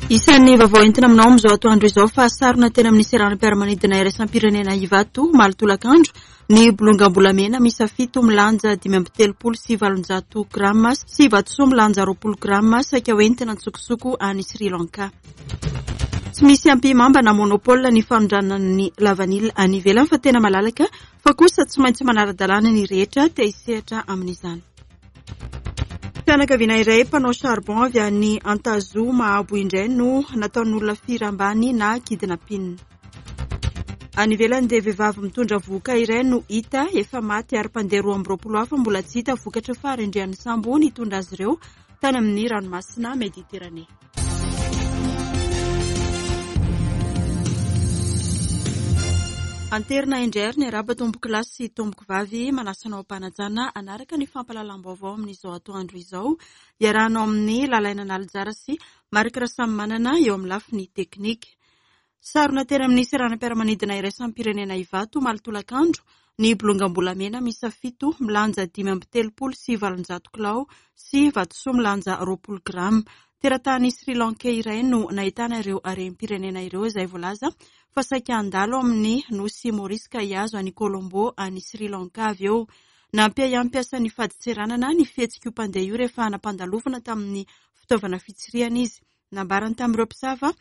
Isan'ny vaovao entina aminao amin'izao atoandro izao fa sarona teny amin'ny seranam-piaramanidina iraisam-pirenena Ivato omaly tolakandro ny bolongam-bolamena miisa fito milanja 835 grama sy vatosoa milanja 20 grama saika hoentina an-tsokosoko any Sri Lanka. Tsy misy ampihimamba na monopole ny fanondranana ny lavanila any ivelany fa tena malalaka fa kosa tsy maintsy manara-dalàna ny rehetra te hisehatra amin'izany. Fianakaviana iray mpanao charbon avy any Antazoa Mahabo indray no nataon'olona firambany na kidnapping. Any ivelany dia vehivavy mitondra vohoka iray no hita efa maty ary mpandeha 22 hafa mbola tsy hita vokatry ny faharendrehan'ny sambo nitondra azy ireo tany amin'ny ranomasina Mediterane. Anterina indray ary ny araba tompoko lahy sy tompoko vavy manasa anao am-panajana hanaraka ny fampahalalam-baovao amin'izao atoandro izao iarahanao amin'ny Lalaina Nalijara sy Marc Rasamimanana eo amin'ny lafiny teknika. Sarona teny amin'ny seranam-piaramanidina iraisam-pirenena Ivato omaly tolakandro ny bolongam-bolamena miisa fito milanja 835 kilao sy vatosoa milanja 20 grama. Teratany Sri Lankais iray no nahitana ireo harem-pirenena ireo izay voalaza fa saika handalo amin'ny nosy Maurice ka hihazo an'i Colombo any Sri Lanka avy eo. Nampiahiahy mpiasan'ny fadintseranana ny fihetsik'io mpandeha io rehefa nampandalovina tamin'ny fitaovana fitsirihana izy. Nambarany tamin'ireo mpisava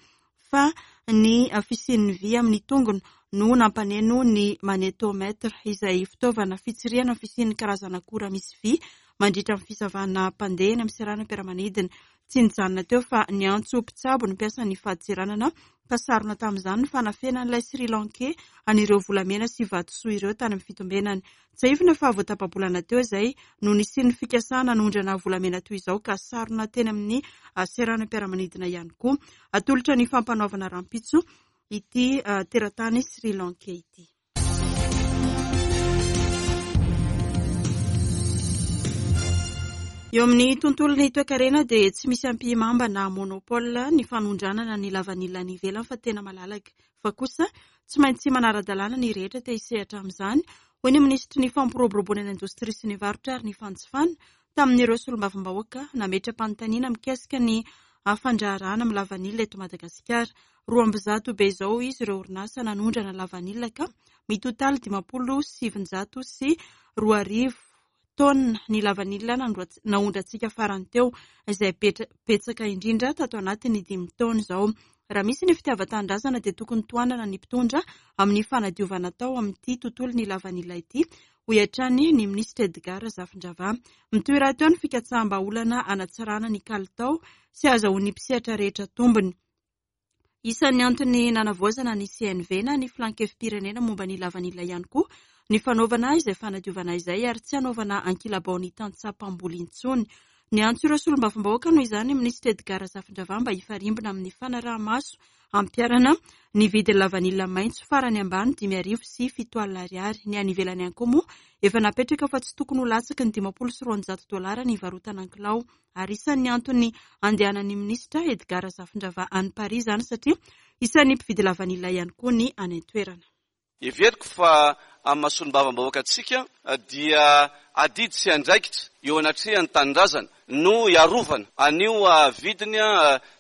fa ny fisian'ny vy amin'ny tongony no nampaneno ny magnétomètre, izay fitaovana fitsirihana ny fisian'ny karazana akora misy vy mandritra ny fisavana mpandeha eny amin'ny seranam-piaramanidina. Tsy nijanona teo fa niantso mpitsabo ny mpiasan'ny fadintseranana ka sarona tamin'izany ny fanafenan'ilay Sri Lankais an'ireo volamena sy vatosoa ireo tany amin'ny fitombenany. Tsiahivina fa vao tapa-bolana teo izay no nisian'ny fikasana hanondrana volamena toy izao ka sarona teny amin'ny seranam-piaramanidina ihany koa. Atolotra ny fampanoavana rahampitso ity teratany Sri Lankais ity. Eo amin'ny tontolon'ny toekarena dia tsy misy ampihimamba na monopole ny fanondranana ny lavanila any ivelany fa tena malalaka. Fa kosa tsy maintsy manara-dalàna ny rehetra te hisehatra amin'izany, hoy ny minisitry ny Fampiroboroboana ny indostria sy ny varotra ary ny fanjifana, tamin'ireo solombavambahoaka nametra-panontaniana mikasika ny fandraharahana amin'ny lavanila eto Madagasikara. 102 be izao izy ireo orinasa nanondrana lavanila ka mitotaly 2050 taonina ny lavanila naondrantsika farany teo, izay betsaka indrindra tato anatin'ny dimy taona izao. Raha misy ny fitiavan-tanindrazana dia tokony tohanana ny mpitondra amin'ny fanadiovana atao amin'ity tontolon'ny lavanila ity, hoy hatrany ny minisitra Edgard Razafindravahy. Mitohy rahateo ny fikatsaham-bahaolana hanatsarana ny kalitao sy hahazahoan'ny mpisehatra rehetra tombony. Isan'ny antony nanavaozana ny CNV na ny Filan-kevi-pirenena momba ny lavanila ihany koa ny fanaovana izay fanadiovana izay ary tsy hanaovana ankilabao ny tantsaha mpamboly intsony. Niantso ireo solombavambahoaka noho izany ny minisitra Edgard Razafindravahy mba hifarimbona amin'ny fanaraha-maso hampiharana ny vidin'ny lavanila maitso farany ambany 7005 ariary. Ny any ivelany ihany koa moa efa napetraka fa tsy tokony ho latsaky ny 250 dolara ny hivarotana an-kilao. ary isan'ny antony andehanan'ny minisitra Edgard Razafindravahy any Paris izany satria isan'ny mpividy lavanila ihany koa ny any an-toerana. Heveriko fa amin'ny maha solombavambahoaka antsika dia adidy sy andraikitra eo anatrehan'ny tanindrazana no hiarovana an'io vidiny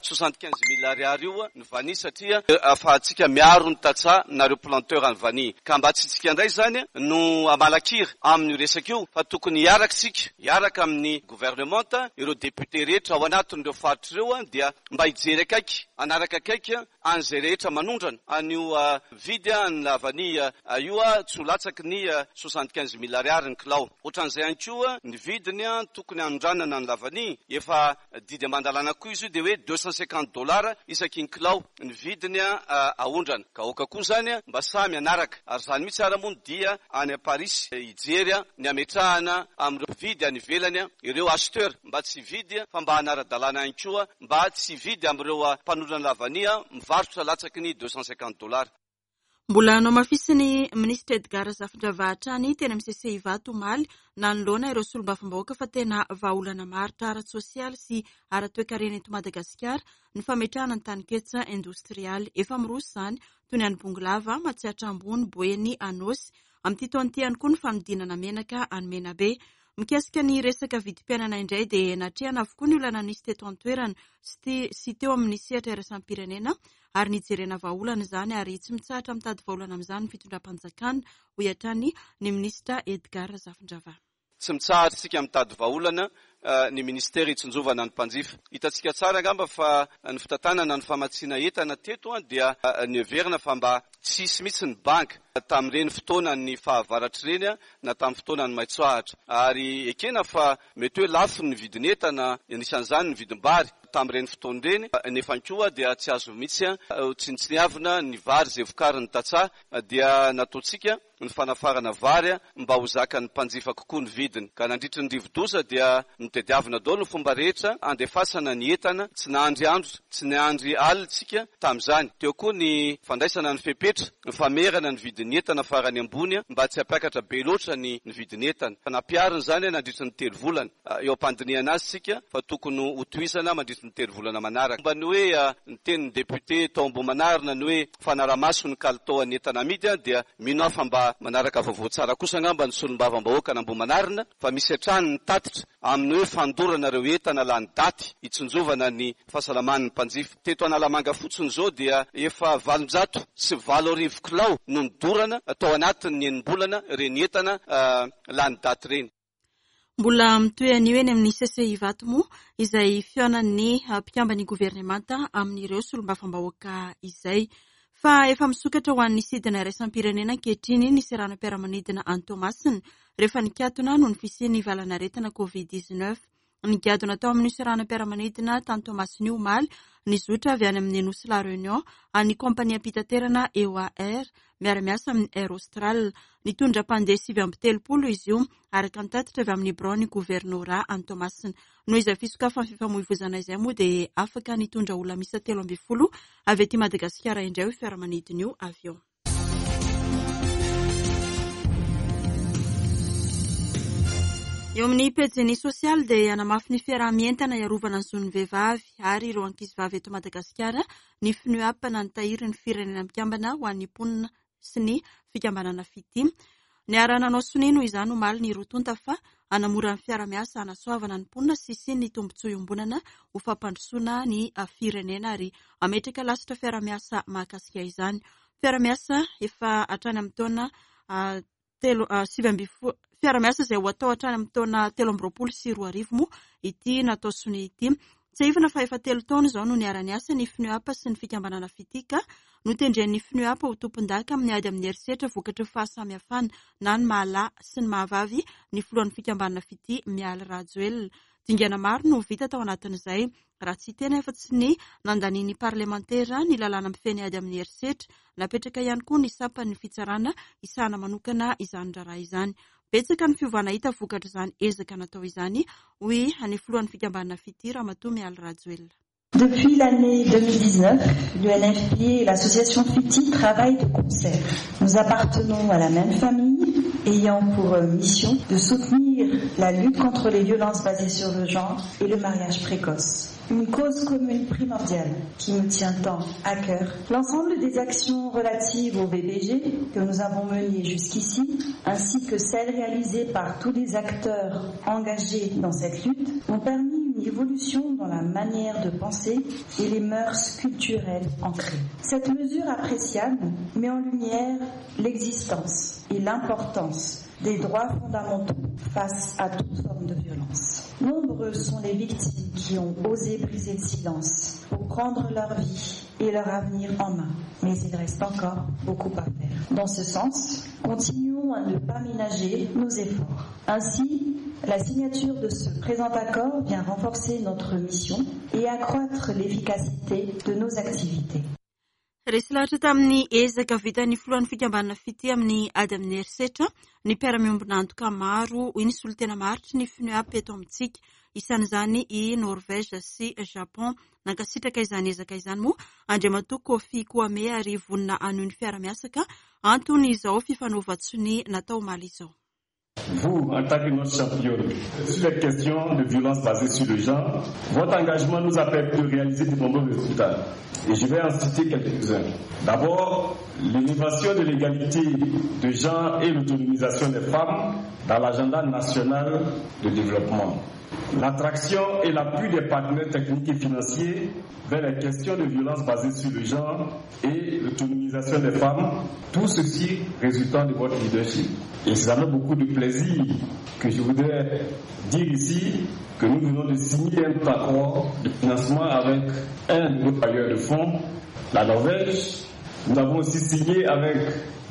75 mille ariary io ny vanille satria ahafahantsika miaro ny tantsaha na ireo planteurs ny vanille ka mba tsy isika indray izany no hamalakira amin'io resaka io fa tokony hiaraka isika hiaraka amin'ny Governemanta, ireo députés rehetra ao anatin'ireo faritra ireo dia mba hijery akaiky, hanaraka akaiky an'izay rehetra manondrana an'io vidy ny lavanille io tsy ho latsaky ny 75 mille ariary ny kilao. Ohatran'izay ihany koa ny vidiny tokony hanondranana ny lavanille, efa didy aman-dalàna koa izy io dia hoe 250 dollars isaky ny kilao ny vidiny aondrana. Ka aoka koa izany mba samy hanaraka. Ary izany mihitsy ara moa no dia any Parisy hijery ny hametrahana amin'ireo mpividy any ivelany ireo acheteurs mba tsy hividy fa mba hanara-dalàna ihany koa mba tsy hividy amin'ireo mpanondrana lavania mivarotra latsaky ny 250 dollars. Mbola nohamafisin'ny minisitra Edgard Razafindravahy hatrany teny amin'ny CC Ivato omaly nanoloana ireo solombavambahoaka fa tena vahaolana maharitra ara-tsosialy sy ara-toekarena eto Madagasikara ny fametrahana ny taninketsa indostrialy. Efa miroso izany toy ny any Bongolava, Matsiatra Ambony, Boeny, Anôsy. Amin'ity taona ity ihany koa ny fanodinana menaka any Menabe. Mikasika ny resaka vidim-piainana indray dia natrehana avokoa ny olana nisy teto an-toerana sy teo amin'ny sehatra iraisam-pirenena ary nijerena vahaolana izany ary tsy mitsahatra mitady vahaolana amin'izany ny fitondram-panjakana, hoy hatrany ny minisitra Edgard Razafindravahy. Tsy mitsahatra isika mitady vahaolana ny minisitera hitsinjovana ny mpanjifa. Hitantsika tsara angamba fa ny fitantanana ny famatsiana entana teto dia noheverina fa mba tsy hisy mihitsy ny banga tamin'ireny fotoanan'ny fahavaratra ireny na tamin'ny fotoanan'ny maitsoahitra. Ary ekena fa mety hoe lafo ny vidin'entana, anisan'izany ny vidim-bary tamin'ireny fotoana ireny, nefa koa dia tsy azo mihitsy tsinontsiniavina ny vary izay vokarin'ny tantsaha dia nataontsika ny fanafarana vary mba ho zakan'ny mpanjifa kokoa ny vidiny. Ka nandritry ny rivodoza dia notediavina daholo ny fomba rehetra handefasana ny entana, tsy nahandry andro, tsy niandry alina isika tamin'izany. Teo koa ny fandraisana ny fepetra, ny famerana ny vidin'ny entana farany ambony mba tsy hampiakatra be loatra ny vidin'entana. Nampiharina izany nandritry ny 3 volana. Eo am-pandinihana azy isika fa tokony hotohizana mandritry ny 3 volana manaraka. Momba ny hoe ny tenin'ny député tao Ambohimanarina ny hoe fanarahamaso ny kalitaon'ny entana amidy dia mino aho fa mba manaraka vaovao tsara kosa angamba ny solombavambahoakan'Ambohimanarina fa misy hatrany ny tatitra amin'ny hoe fandorana ireo entana lany daty hitsinjovana ny fahasalaman'ny mpanjifa. Teto Analamanga fotsiny izao dia efa 1800 kilao no nodorana tao anatin'ny enim-bolana ireny entana lany daty ireny. Mbola mitohy anio eny amin'ny CCI Ivato moa izay fihaonan'ny mpikamban'ny governemanta amin'ireo solombavambahoaka izay. Fa efa misokatra ho an'ny sidina iraisam-pirenena ankehitriny ny seranam-piaramanidina any Toamasina rehefa nikatona noho ny fisian'ny valanaretina Covid-19. Nigadona tao amin'ny seranam-piaramanidina tany Toamasina io omaly ny zotra avy any amin'ny Nosy La Réunion an'ny kompaniam-pitaterana EOA Air miara-miasa amin'ny Air Austral. Nitondra mpandeha 39 izy io araka ny tatitra avy amin'ny biraon'ny governora any Toamasina. Noho izay fisokafan'ny fifamoivoizana izay moa dia afaka nitondra olona miisa 13 avy aty Madagasikara indray io fiaramanidina io avy eo. Eo amin'ny pejin'ny sosialy dia hanamafy ny fiaraha-mientana hiarovana ny zon'ny vehivavy ary ireo ankizivavy eto Madagasikara ny FNUAP na ny tahirin'ny firenena mikambana ho an'ny mponina sy ny fikambanana Fitia. Niara-nanao sonia noho izany omaly ny roa tonta fa hanamora ny fiara-miasa hanasoavana ny mponina sy hisian'ny tombontsoa iombonana ho fampandrosoana ny firenena ary hametraka lasitra fiara-miasa mahakasika izany. Fiara-miasa efa hatrany amin'ny taona telo sivy ambin'ny folo fiara-miasa izay ho atao hatrany amin'ny taona 2023 moa ity natao sonia ity. Tsiahivina fa efa 3 taona izao no niara-niasa ny FNUAP sy ny fikambanana Fitia ka notendren'ny FNUAP ho tompon-daka amin'ny ady amin'ny herisetra vokatry ny fahasamihafana na ny mahalahy sy ny mahavavy ny filohan'ny fikambanana Fitia Mialy Rajoelina. Dingana maro no vita tao anatin'izay raha tsy hiteny afa-tsy ny nandanian'ny parlemantera ny lalàna mifehy ny ady amin'ny herisetra. Napetraka ihany koa ny sampan'ny fitsarana hisahana manokana izany raharaha izany. Betsaka ny fiovana hita vokatr'izany ezaka natao izany, hoy ny filohan'ny fikambanana Fitia Ramatoa Mialy Rajoelina. Depuis l'année 2019, l'UNFPA et l'association FITI travaillent de concert. Nous appartenons à la même famille, ayant pour mission de soutenir la lutte contre les violences basées sur le genre et le mariage précoce. Une cause commune primordiale qui me tient tant à cœur. L'ensemble des actions relatives au VBG que nous avons menées jusqu'ici, ainsi que celles réalisées par tous les acteurs engagés dans cette lutte, ont permis une évolution dans la manière de penser et les mœurs culturelles ancrées. Cette mesure appréciable met en lumière l'existence et l'importance des droits fondamentaux face à toute forme de violence. Nombreuses sont les victimes qui ont osé briser le silence pour prendre leur vie et leur avenir en main. Mais il reste encore beaucoup à faire. Dans ce sens, continuons à ne pas ménager nos efforts. Ainsi, la signature de ce présent accord vient renforcer notre mission et accroître l'efficacité de nos activités. Resy lahatra tamin'ny ezaka vitan'ny filohan'ny fikambanana Fitia amin'ny ady amin'ny herisetra ny mpiara-miombona antoka maro hoy ny solontena maharitry ny FNUAP eto amintsika. Isan'izany i Norvège sy Japon. Nankasitraka izany ezaka izany moa Andriamatoa Kofi Kwame ary vonona hanohy ny fiara-miasa ka antony izao fifanaovan-tsonia natao omaly izao. Vous, en tant que notre championne, sur les questions de violence basée sur le genre, votre engagement nous a permis de réaliser de nombreux résultats. Et je vais en citer quelques-uns. D'abord, l'élévation de l'égalité de genre et l'autonomisation des femmes dans l'agenda national de développement. L'attraction et l'appui des partenaires techniques et financiers vers les questions de violence basée sur le genre et l'autonomisation des femmes, tout ceci résultant de votre leadership. Et c'est avec beaucoup de plaisir que je voudrais dire ici que nous venons de signer un accord de financement avec un nouveau bailleur de fonds, la Norvège. Nous avons aussi signé avec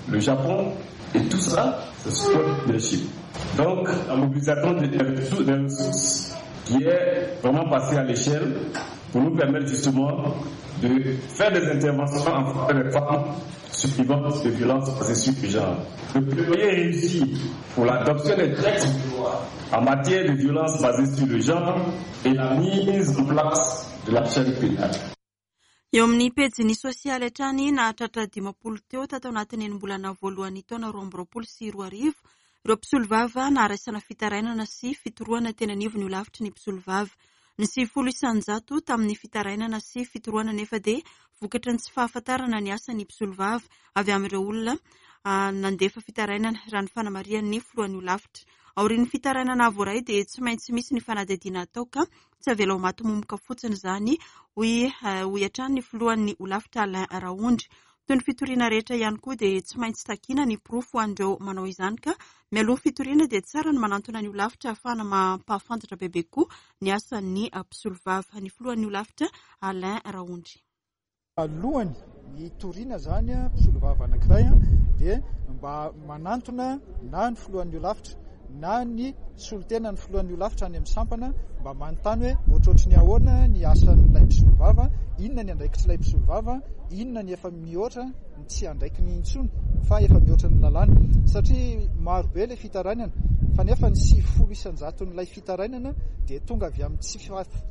le Japon et tout ça, c'est sur votre leadership. Donc, la mobilisation des ressources qui est vraiment passée à l'échelle pour nous permettre justement de faire des interventions en faveur des femmes survivantes de violences basées sur le genre. Le plaidoyer réussi pour l'adoption des textes de loi en matière de violences basées sur le genre et la mise en place de la chaîne pénale. Eo amin'ny pejiny sosialy hatrany, nahatratra 50 teo tato anatin'ny enim-bolana voalohan'ny taona 2022 ireo mpisolovava naharaisana fitarainana sy fitorohana teny anivon'ny holafitry ny mpisolovava. Ny 90% tamin'ny fitarainana sy fitorohana nefa dia vokatry ny tsy fahafantarana ny asan'ny mpisolovava avy amin'ireo olona nandefa fitarainana, raha ny fanamarihan'ny filohan'ny holafitra. Aorian'ny fitarainana voaray dia tsy maintsy misy ny fanadihadiana atao ka tsy avela ho maty momoka fotsiny izany, hoy hoy hatrany ny filohan'ny holafitra Alain Raondry. Toy ny fitoriana rehetra ihany koa dia tsy maintsy takiana ny porofo ho an'ireo manao izany ka mialoha ny fitoriana dia tsara ny manantona ny holafitra ahafahana mampahafantatra bebe kokoa ny asan'ny mpisolovava. Ny filohan'ny holafitra Alain Raondry. Alohany hitoriana izany mpisolovava anankiray dia mba manantona na ny filohan'ny holafitra na ny solontenan'ny filohan'ny holafitra any amin'ny sampana mba manontany hoe ohatrohatry ny ahoana ny asan'ilay mpisolovava, inona ny andraikitr'ilay mpisolovava, inona ny efa mihoatra ny tsy andraikiny intsony fa efa mihoatra ny lalàna. Satria maro be ilay fitarainana fa nefa ny 90 isan-jaton'ilay fitarainana dia tonga avy amin'ny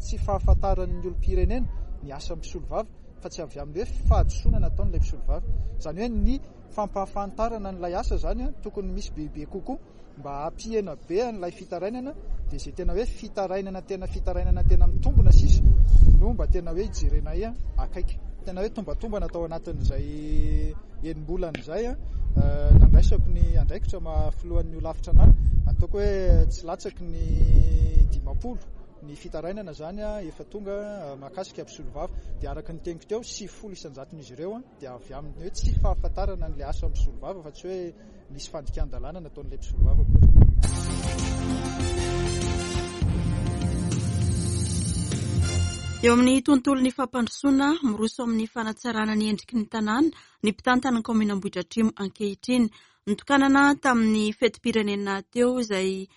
tsy fahafantaran'ny olom-pirenena ny asan'ny mpisolovava fa tsy avy amin'ny hoe fahadisoana nataon'ilay mpisolovava. Izany hoe ny fampahafantarana an'ilay asa izany tokony misy bebe kokoa mba hampihena be an'ilay fitarainana dia izay tena hoe fitarainana tena fitarainana tena mitombina sisa no mba tena hoe hijerenay akaiky. Tena hoe tombatombana tao anatin'izay enim-bolana izay nandraisako ny andraikitra maha filohan'ny holafitra anahy, ataoko hoe tsy latsaky ny 50 ny fitarainana izany efa tonga mahakasika mpisolovava. Dia araka ny teniko teo, 90 isan-jaton'izy ireo dia avy amin'ny hoe tsy fahafantarana an'ilay asa mpisolovava fa tsy hoe nisy fandikan-dalàna nataon'ilay mpisolovava akory. Eo amin'ny tontolon'ny fampandrosoana, miroso amin'ny fanatsarana ny endriky ny tanàna ny mpitantana ny kaominina Ambohidratrimo ankehitriny. Nitokanana tamin'ny fetim-pirenena teo izay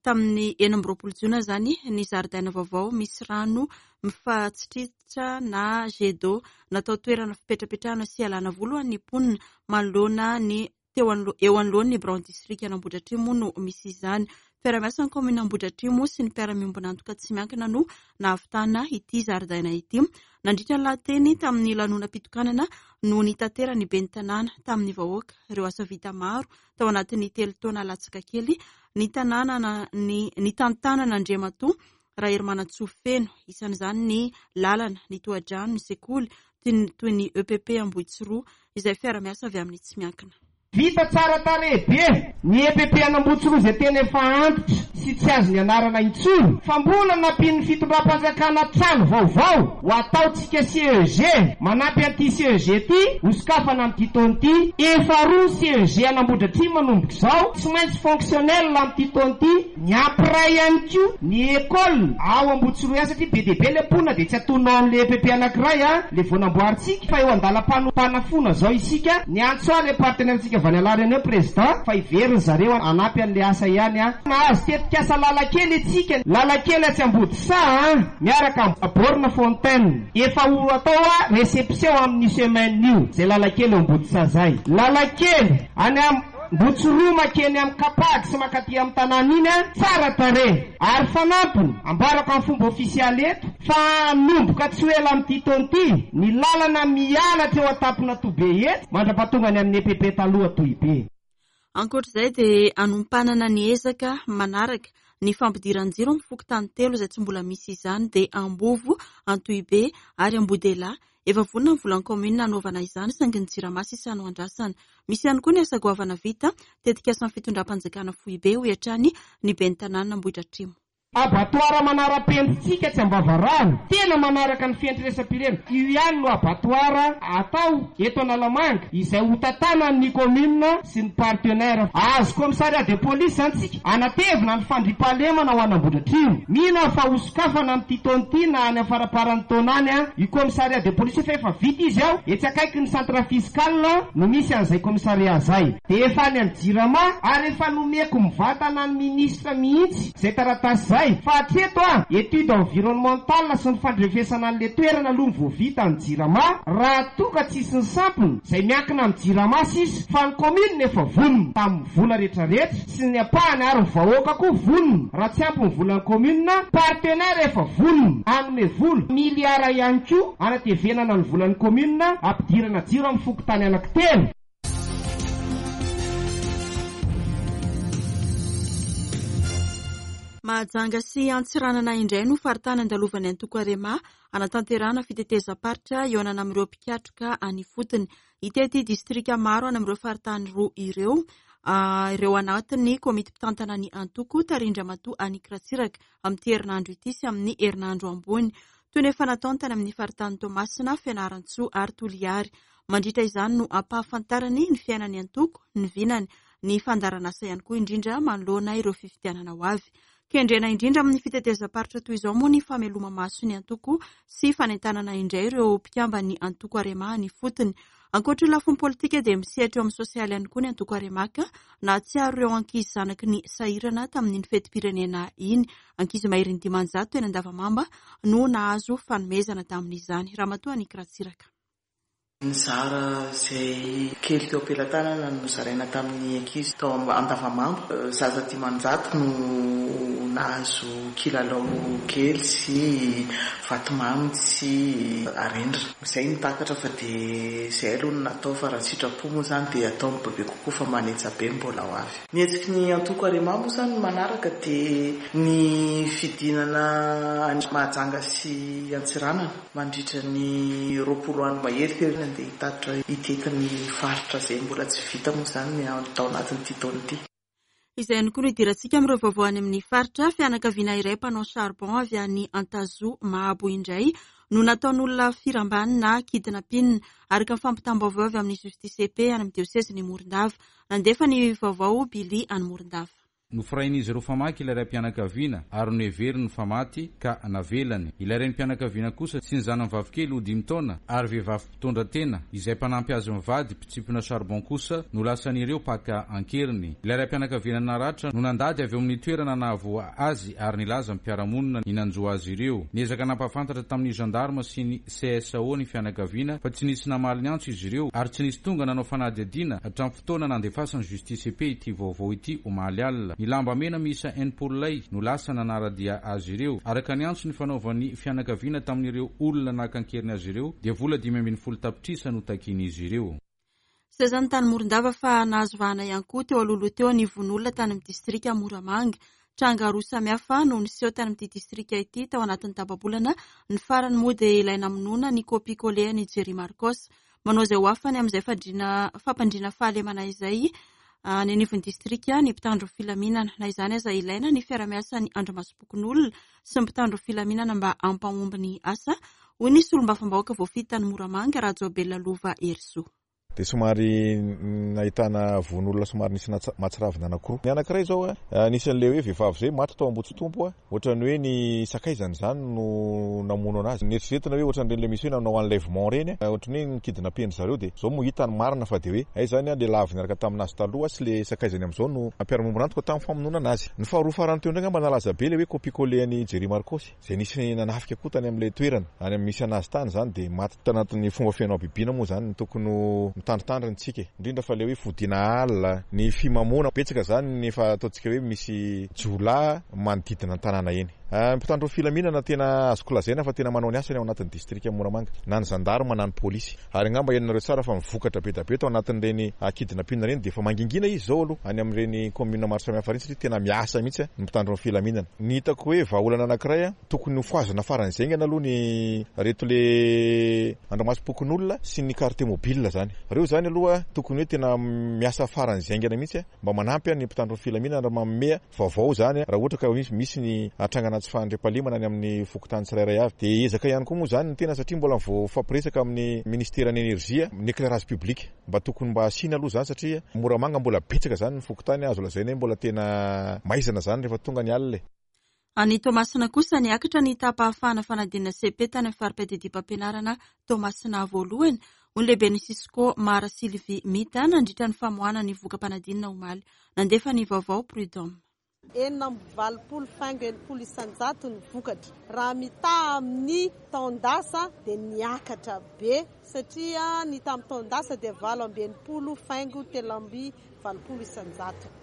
tamin'ny 26 jona izany ny zaridaina vaovao misy rano mifatsitritra na jet d'eau natao toerana fipetrapetrahana sy hialana voly ho an'ny mponina manoloana ny teo eo anoloan'ny biraon'ny distrikan'Ambohidratrimo no misy izany. Fiaraha-miasan'ny kaominina Ambohidratrimo sy ny mpiara-miombon'antoka tsy miankina no nahavitana ity zaridaina ity. Nandritra ny lahateny tamin'ny lanonam-pitokanana no nitateran'ny ben'ny tanàna tamin'ny vahoaka ireo asa vita maro tao anatin'ny telo taona latsaka kely ny tanàna ny nitantanan'Andriamatoa Raherimanantsoa Feno. Isan'izany ny lalana, ny tohadrano, ny sekoly toy ny EPP Ambohitsiroa izay fiara-miasa avy amin'ny tsy miankina. Vita tsara tarehy be ny EPP an'Ambohitsiroa izay tena efa antitra sy tsy azo nianarana intsony fa mbola nampian'ny fitondram-panjakana trano vaovao ho ataontsika CEG manampy an'ity CEG ity ho sokafana amin'ity taona ity. Efa roa CEG an'Ambohidratrimo manomboka izao tsy maintsy fonctionnel amin'ity taona ity. Miampy iray ihany koa ny école ao Ambohitsiroa ihany satria be dia be ilay mponina dia tsy atonina ao amin'ilay EPP anankiray ilay vao namboarintsika fa eo andalam-panafoana izao isika. Niantso ahy ilay partenaire-ntsika avy any Alarany hoe président fa hiverina zareo hanampy an'ilay asa ihany an. Nahazo tetikasa lalan-kely isika, lalan-kely atsy Ambodisaha an, miaraka amin'ny borne fontaine. Efa ho atao réception amin'io semaine io izay lalan-kely eo Ambodisaha izay. Lalan-kely any Ambotsiroa makeny amin'ny Capag sy mankaty amin'ny tanàna iny an, tsara tarehy. Ary fanampiny, ambarako amin'ny fomba ofisialy eto fa hanomboka tsy ho ela amin'ity taona ity ny lalana miala hatreo an-tampon'Antohibe eto mandra-pahatonga any amin'ny EPP taloha Antohibe. Ankoatra izay dia hanompanana ny ezaka manaraka ny fampidiran-jiro amin'ny fokontany telo izay tsy mbola misy izany dia Ambovo, Antohibe ary Ambodelahy. Efa vonona ny volan'ny kaominina hanaovana izany saingy ny Jirama sisa no andrasana. Misy ihany koa ny asa goavana vita, tetikasan'ny fitondram-panjakana foibe, hoy hatrany ny ben'ny tanànan'Ambohidratrimo. Abattoir manara-penitsika tsy Ambavarano, tena manaraka ny fenitra-iraisam-pirenena. Io ihany no abattoir atao eto Analamanga izay ho tantanan'ny commune sy ny partenaires. Ahazo commissariat de police izany tsika, hanatevina ny fandriampahalemana ho an'Ambohidratrimo. Mino aho fa hosokafana amin'ity taona ity na any am-faramparan'ny taona any io commissariat de police io fa efa vita izy ao, etsy akaikin'ny centre fiscal no misy an'izay commissariat izay. Dia efa any amin'ny jirama ary efa nomeko mivantana ny ministra mihitsy izay taratasy izay fa hatreto an, étude environnementale sy ny fandrefesana an'ilay toerana aloha no vao vita ny jirama raha toa ka tsisy ny sampona izay miankina amin'ny jirama sisa fa ny commune efa vonona tamin'ny vola retraretra sy ny ampahany ary ny vahoaka koa vonona raha tsy ampy ny volan'ny commune, partenaire efa vonona hanome vola, miliara ihany koa hanatevenana ny volan'ny commune hampidirana jiro amin'ny fokontany anankitelo. Mahajanga sy Antsiranana indray no faritany andalovan'ny antoko Arema hanatanterahana fitetezam-paritra hihaonana amin'ireo mpikatroka any ifotony. Hitety distrika maro any amin'ireo faritany roa ireo ireo anatin'ny komity mpitantana ny antoko tarihin-dRamatoa Annick Ratsiraka amin'ity herinandro ity sy amin'ny herinandro ambony. Toy ny efa nataony tany amin'ny faritany Toamasina, Fianarantsoa ary Toliary. Mandritra izany no hampahafantarany ny fiainan'ny antoko, ny vinany, ny fandaharanasa ihany koa indrindra manoloana ireo fifidianana ho avy. Kendrena indrindra amin'ny fitetezam-paritra toy izao moa ny fameloma-maso ny antoko sy fanentanana indray ireo mpikamban'ny antoko Arema any ifotony. Ankoatra io lafiny politika dia misehatra eo amin'ny sosialy ihany koa ny antoko Arema ka nahatsiaro ireo ankizy zanaky ny sahirana tamin'iny fetim-pirenena iny. Ankizy maherin'ny 500 teny Andavamamba no nahazo fanomezana tamin'izany. Ramatoa Annick Ratsiraka. Nizara izay kely teo am-pelatanana no nozaraina tamin'ny ankizy tao Andavamamba. Zaza 500 no nahazo kilalao kely sy vatomamy sy arendrina. Izay no takatra fa dia izay aloha no natao fa raha sitrapo moa izany dia atao ny bebe kokoa fa manetsa be ny mbola ho avy. Ny hetsiky ny antoko Arema moa izany ny manaraka dia ny fidinana any Mahajanga sy Antsiranana. Mandritra ny 20 andro mahery teo ny andeha hitatitra hitety ny faritra izay mbola tsy vita moa izany ny tao anatin'ity taona ity. Izay ihany koa no hidirantsika amin'ireo vaovao any amin'ny faritra. Fianakaviana iray mpanao charbon avy any Antazoa Mahabo indray no nataon'olona firambany na kidnapping, araka ny fampitam-baovao avy amin'ny Justice et Paix any amin'ny diosezin'i Morondava. Nandefa ny vaovao Billy any Morondava. Nofirain'izy ireo famaky ilay raim-pianakaviana ary noheveriny fa maty ka navelany. Ilay renim-pianakaviana kosa sy ny zanany vavikely ho dimy taona ary vehivavy mpitondra tena izay mpanampy azy mivady mpitsipona charbon kosa no lasan'ireo mpaka an-keriny. Ilay raim-pianakaviana naratra no nandady avy eo amin'ny toerana nahavoa azy ary nilaza ny mpiara-monina ny nanjo azy ireo. Niezaka nampahafantatra tamin'ny gendarme sy ny CSO ny fianakaviana fa tsy nisy namaly ny antso izy ireo ary tsy nisy tonga nanao fanadihadiana hatramin'ny fotoana nandefasan'ny Justice et Paix ity vaovao ity omaly alina. Ny lamba mena miisa 60 lay no lasa nanara-dia azy ireo. Araka ny antso nifanaovan'ny fianakaviana tamin'ireo olona naka an-keriny azy ireo dia vola 15 tapitrisa no takian'izy ireo. Seza ny tany Morondava fa nahazo vahana ihany koa teo alohaloha teo ny vono olona tany amin'ny distrika Moramanga. Tranga roa samihafa no niseho tany amin'ity distrika ity tao anatin'ny tapa-bolana. Ny farany moa dia ilay namonoana ny kopia-kole an'i Jerry Marcos. Manao izay ho afany amin'izay fandriana fampandriana fahalemana izay any anivon'ny distrika ny mpitandro filaminana. Na izany aza ilaina ny fiarahamiasan'ny andrimasom-pokonolona sy ny mpitandro filaminana mba hampahomby ny asa, hoy ny solombavambahoaka voafidy tany Moramanga, Rajaobelina Lova Herisoa. Dia somary nahitana vono olona somary nisy mahatsiravina anankiroa. Ny anankiray izao, nisy an'ilay hoe vehivavy izay maty tao Ambohitsitompo, ohatran'ny hoe ny sakaizany izany no namono anazy. Neritreretina hoe ohatran'ireny ilay misy hoe nanao enlèvement ireny, ohatran'ny hoe ni-kidnapper-ndry zareo dia izao moa hita ny marina fa dia hoe hay izany ilay lavo niaraka tamin'azy taloha sy ilay sakaizany amin'izao no nampiara-miombon'antoka tamin'ny famonoana anazy. Ny faharoa farany teo indray angamba nalaza be ilay hoe copie-coller an'i Jerry Marcos. Izay nisy nanafika koa tany amin'ilay toerana any amin'ny misy anazy tany izany dia maty tanatin'ny fomba feno habibiana moa izany no tokony ho mitandritandrina isika e! Indrindra fa ilay hoe fodiana alina, ny fimamoana, betsaka izany ny efa ataontsika hoe misy jiolahy manodidina ny tanàna eny. Ny mpitandro ny filaminana tena azoko lazaina fa tena manao ny asany ao anatin'ny distrikan'i Moramanga, na ny zandarma na ny polisy. Ary angamba henonareo tsara fa ny vokatra be da be tao anatin'ireny kidnapping ireny dia efa mangingina izy izao aloha any amin'ireny commune maro samihafa ireny satria tena miasa mihitsy ny mpitandro ny filaminana. Ny hitako hoe vahaolana anankiray, tokony ho fohazina faran'izay haingana aloha ny reto le andrimasom-pokonolona sy ny quartier mobile izany. Ireo izany aloha tokony hoe tena miasa faran'izay haingana mihitsy mba manampy ny mpitandro ny filaminana ary manome vaovao izany raha ohatra ka misy ny trangana tsy fahandriampahalemana any amin'ny fokontany tsirairay avy. Dia ezaka ihany koa moa izany ny tena satria mbola vao mifampiresaka amin'ny ministeran'ny energie ny éclairage public. Mba tokony mba asiana aloha izany satria Moramanga mbola betsaka izany ny fokontany azo lazaina hoe mbola tena maizina izany rehefa tonga ny alina e. Any Toamasina kosa, niakatra ny taham-pahafahana fanadinana cepe tany amin'ny fari-piadidiam-pampianarana Toamasina voalohany, hoy ny lehiben'ny Cisco Mara Sylvie Mita nandritra ny famoahana ny voka-panadinana omaly. Nandefa ny vaovao Prud'homme. 86 faingo 60% ny vokatra. Raha mitaha amin'ny taon-dasa dia niakatra be satria ny tamin'ny taon-dasa dia 68 faingo 83%.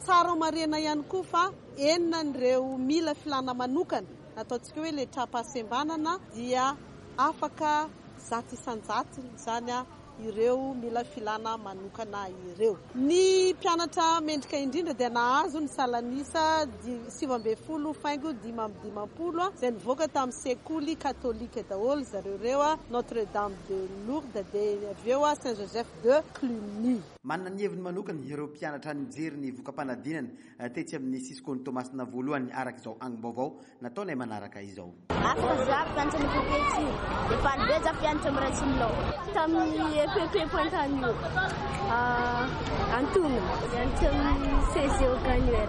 Tsara homarihina ihany koa fa enina ireo mila filàna manokana, ataontsika hoe ilay tra-pahasembanana dia afaka 100% izany ireo mila filàna manokana ireo. Ny mpianatra mendrika indrindra dia nahazo ny salan'isa 19 faingo 55 izay nivoaka tamin'ny sekoly katolika daholo zareo ireo, Notre Dame de Lourdes dia avy eo Saint Joseph de Cluny. Manana ny heviny manokana ireo mpianatra nijery ny voka-panadinana tetsy amin'ny Cisco-n'i Toamasina voalohany araka izao angom-baovao nataonay manaraka izao. Afaka za mpianatra ny EPP ty dia faly be za mpianatra amin'ny Ratsimilaho. Tamin'ny EPP Pointe-Anio antonona nianatra amin'ny CG Auganuel.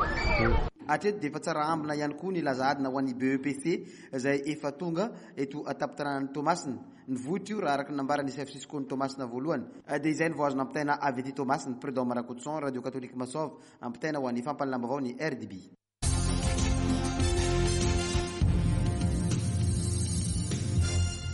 Hatreto dia efa tsara ambina ihany koa ny laza adina ho an'ny BEPC izay efa tonga eto an-tampon-tanànan'i Toamasina. Nivoitra io raha araka ny nambaran'ny Chef Cisco-n'i Toamasina voalohany. Dia izay no vao azo nampitaina avy aty Toamasina. Prud'homme Rakotoson, Radio Catholique Masov, ampitaina ho an'ny fampahalalam-baovao ny RDB.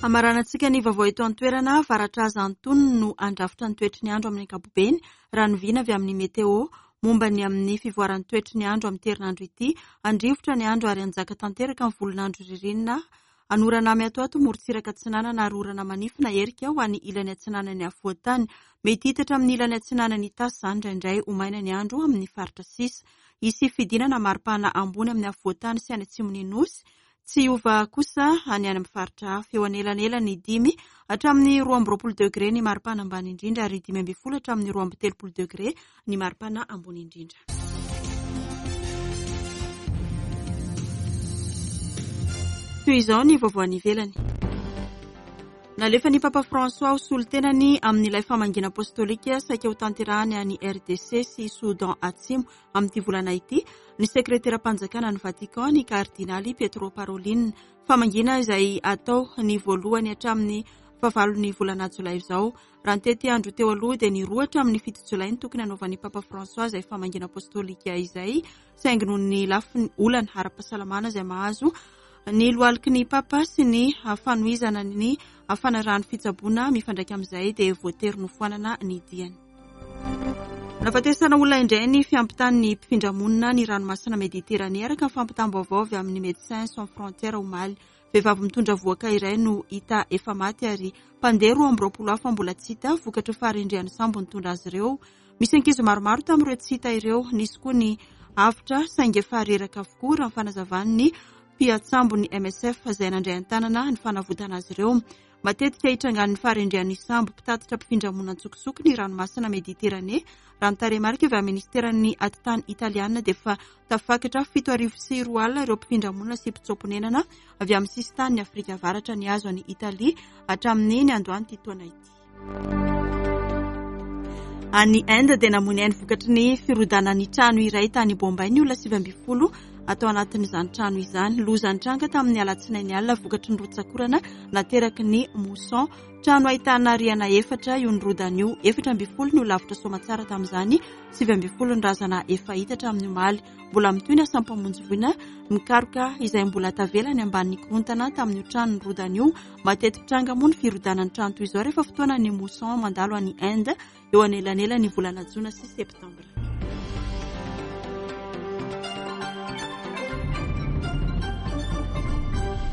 Hamaranantsika ny vaovao eto an-toerana, varatraza antonony no handrafitra ny toetry ny andro amin'ny ankapobeny, raha ny vina avy amin'ny Météo. Momba ny amin'ny fivoaran'ny toetry ny andro amin'ity herinandro ity, handrivotra ny andro ary hanjaka tanteraka ny volon'andro ririnina Hanorana miatoato morontsiraka atsinanana ary orana manify na erika ho any ilany atsinanan'ny afovoan-tany. Mety hitatra amin'ny ilany atsinanan'i Itasy izany indraindray ho maina ny andro amin'ny faritra sisa. Hisy fidinana maripana ambony amin'ny afovoan-tany sy any atsimon'ny Nosy. Tsy hiova kosa ny any amin'ny faritra hafa. Eo anelanelan'ny dimy hatramin'ny 22 degre ny maripana ambany indrindra ary 15 hatramin'ny 32 degre ny maripana ambony indrindra. Toy izao ny vaovao any ivelany. Nalefan'ny Papa François ho solontenany amin'ilay famangiana apostolika saika hotanterahany any RDC sy Soudan Atsimo amin'ity volana ity ny sekreteram-panjakana ny Vatican ny kardinaly Pietro Parolin. Famangiana izay atao ny voalohany hatramin'ny fahavalon'ny volana jolay izao. Raha ny tetiandro teo aloha dia ny roa hatramin'ny fito jolay no tokony hanaovan'ny Papa François izay famangiana apostolika izay, saingy noho ny lafiny olana ara-pahasalamana izay mahazo ny lohaliky ny Papa sy ny fanohizana ny fanarahany fitsaboana mifandraika amin'izay dia voatery nofoanana ny diany. Nahafatesana olona indray ny fiampitan'ny mpifindra-monina ny ranomasina Mediterane araka ny fampitam-baovao avy amin'ny Médecins Sans Frontières omaly. Vehivavy mitondra vohoka iray no hita efa maty ary mpandeha 22 hafa mbola tsy hita vokatry ny faharendrehan'ny sambo nitondra azy ireo. Misy ankizy maromaro tamin'ireo tsy hita ireo. Nisy koa ny avotra saingy efa reraka avokoa raha ny fanazavan'ny mpiatsambon'ny MSF izay nandray an-tanana ny fanavotana azy ireo. Matetika itrangan'ny faharendrehan'ny sambo mpitatitra mpifindra-monina an-tsokosoko ny ranomasina Mediterane. Raha ny tarehimarika avy amin'ny ministeran'ny atitany italiana dia efa tafakatra 2007 ireo mpifindra-monina sy mpitsoa-ponenana avy amin'ny sisintanin'i Afrika Avaratra nihazo an'i Italia hatramin'ny niandohan'ity taona ity. Any Inde dia namoy ny ainy vokatry ny firodanan'ny trano iray tany Bombay ny olona 19 atao anatin'izany trano izany. Loza nitranga tamin'ny alatsinainy alina vokatry ny rotsak'orana nateraky ny mousson. Trano ahitana rihana efatra io nirodana io. 14 no lavitra soamatsara tamin'izany, 19 ny razana efa hita hatramin'ny omaly. Mbola mitohy ny asam-pamonjy voina mikaroka izay mbola tavela any ambanin'ny korontana tamin'io trano nirodana io. Mateti-pitranga moa ny firodanan'ny trano toy izao rehefa fotoanan'ny mousson mandalo any Inde eo anelanelan'ny volana jona sy septambra.